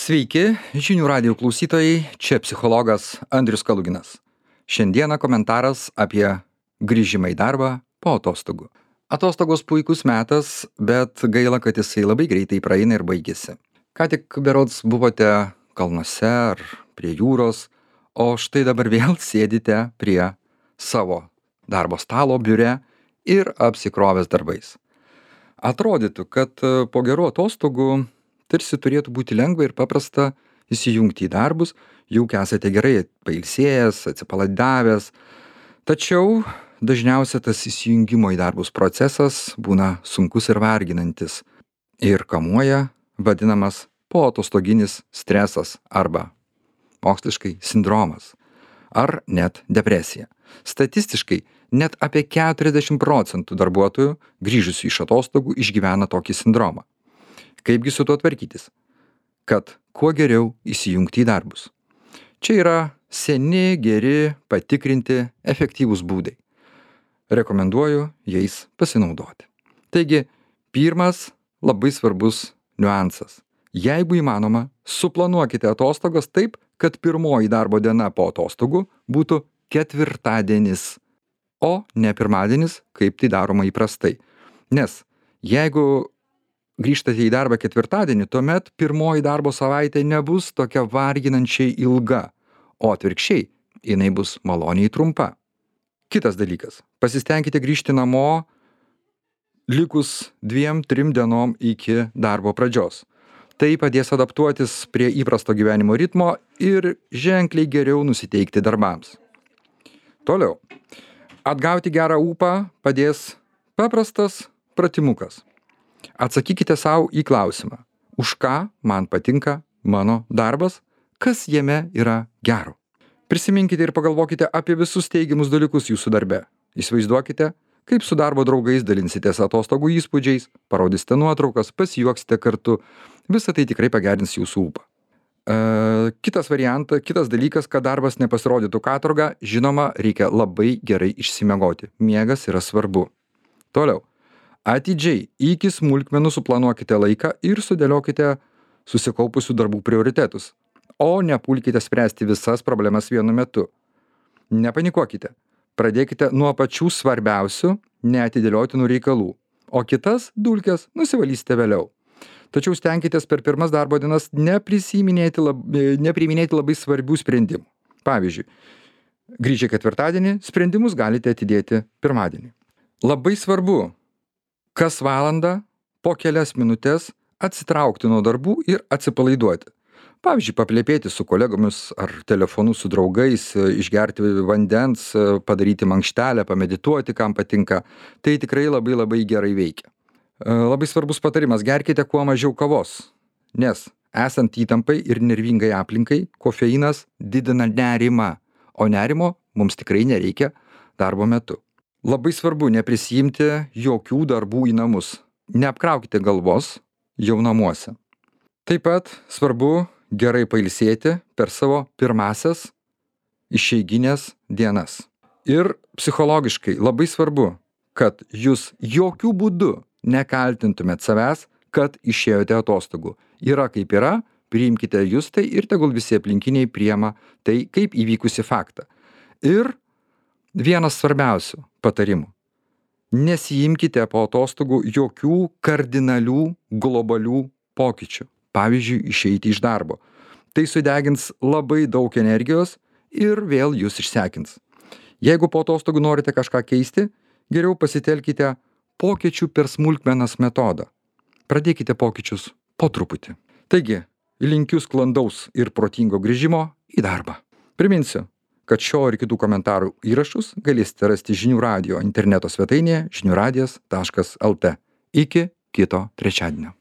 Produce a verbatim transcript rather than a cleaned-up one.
Sveiki, žinių radijo klausytojai, čia psichologas Andrius Kaluginas. Šiandieną komentaras apie grįžimą į darbą po atostogų. Atostogos puikus metas, bet gaila, kad jisai labai greitai praeina ir baigėsi. Ką tik berods buvote kalnuose ar prie jūros, o štai dabar vėl sėdite prie savo darbo stalo biure ir apsikrovęs darbais. Atrodytų, kad po gerų atostogų tarsi turėtų būti lengva ir paprasta įsijungti į darbus, juk esate gerai pailsėjęs, atsipalaidavęs. Tačiau dažniausiai tas įsijungimo į darbus procesas būna sunkus ir varginantis ir kamuoja vadinamas poatostoginis stresas arba moksliškai sindromas ar net depresija. Statistiškai net apie keturiasdešimt procentų darbuotojų grįžusių iš atostogų išgyvena tokį sindromą. Kaipgi su tuo tvarkytis? Kad kuo geriau įsijungti į darbus. Čia yra seni, geri, patikrinti, efektyvūs būdai. Rekomenduoju jais pasinaudoti. Taigi, pirmas labai svarbus niuansas. Jeigu įmanoma, suplanuokite atostogas taip, kad pirmoji darbo diena po atostogų būtų ketvirtadienis, o ne pirmadienis, kaip tai daroma įprastai. Nes jeigu grįžtate į darbą ketvirtadienį, tuomet pirmoji darbo savaitė nebus tokia varginančiai ilga, o atvirkščiai, jinai bus maloniai trumpa. Kitas dalykas. Pasistengkite grįžti namo likus dviem, trim dienom iki darbo pradžios. Tai padės adaptuotis prie įprasto gyvenimo ritmo ir ženkliai geriau nusiteikti darbams. Toliau. Atgauti gerą ūpą padės paprastas pratimukas. Atsakykite savo į klausimą, už ką man patinka mano darbas, kas jame yra gero. Prisiminkite ir pagalvokite apie visus teigiamus dalykus jūsų darbe. Įsivaizduokite, kaip su darbo draugais dalinsitės atostogų įspūdžiais, parodysite nuotraukas, pasijuoksite kartu. Visa tai tikrai pagerins jūsų ūpą. E, kitas variantas, kitas dalykas, kad darbas nepasirodytų katorga, žinoma, reikia labai gerai išsimiegoti. Miegas yra svarbu. Toliau. Atidžiai iki smulkmenų suplanuokite laiką ir sudėliokite susikaupusių darbų prioritetus, o nepulkite spręsti visas problemas vienu metu. Nepanikuokite. Pradėkite nuo pačių svarbiausių, neatidėliotinų reikalų, o kitas dulkes nusivalysite vėliau. Tačiau stenkitės per pirmas darbo dienas neprisiminėti lab, nepriiminėti labai svarbių sprendimų. Pavyzdžiui, grįžę ketvirtadienį, sprendimus galite atidėti pirmadienį. Labai svarbu kas valandą po kelias minutės atsitraukti nuo darbų ir atsipalaiduoti. Pavyzdžiui, paplepėti su kolegomis ar telefonu su draugais, išgerti vandens, padaryti mankštelę, pamedituoti, kam patinka. Tai tikrai labai labai gerai veikia. Labai svarbus patarimas, gerkite kuo mažiau kavos, nes esant įtampai ir nervingai aplinkai, kofeinas didina nerimą, o nerimo mums tikrai nereikia darbo metu. Labai svarbu neprisijimti jokių darbų į namus. Neapkraukite galvos jau namuose. Taip pat svarbu gerai pailsėti per savo pirmasias išeiginės dienas. Ir psichologiškai labai svarbu, kad jūs jokių būdų nekaltintumėt savęs, kad išėjote atostogų. Yra kaip yra, priimkite jūs tai ir tegul visi aplinkiniai priima tai kaip įvykusi faktą. Ir vienas svarbiausių patarimų. Nesijimkite po atostogų jokių kardinalių globalių pokyčių. Pavyzdžiui, išeiti iš darbo. Tai sudegins labai daug energijos ir vėl jūs išsekins. Jeigu po atostogų norite kažką keisti, geriau pasitelkite pokyčių per smulkmenas metodą. Pradėkite pokyčius po truputį. Taigi, linkiu sklandaus ir protingo grįžimo į darbą. Priminsiu, kad šio ir kitų komentarų įrašus galėsite rasti žinių radijo interneto svetainėje žinių radijas taškas lt. Iki kito trečiadienio.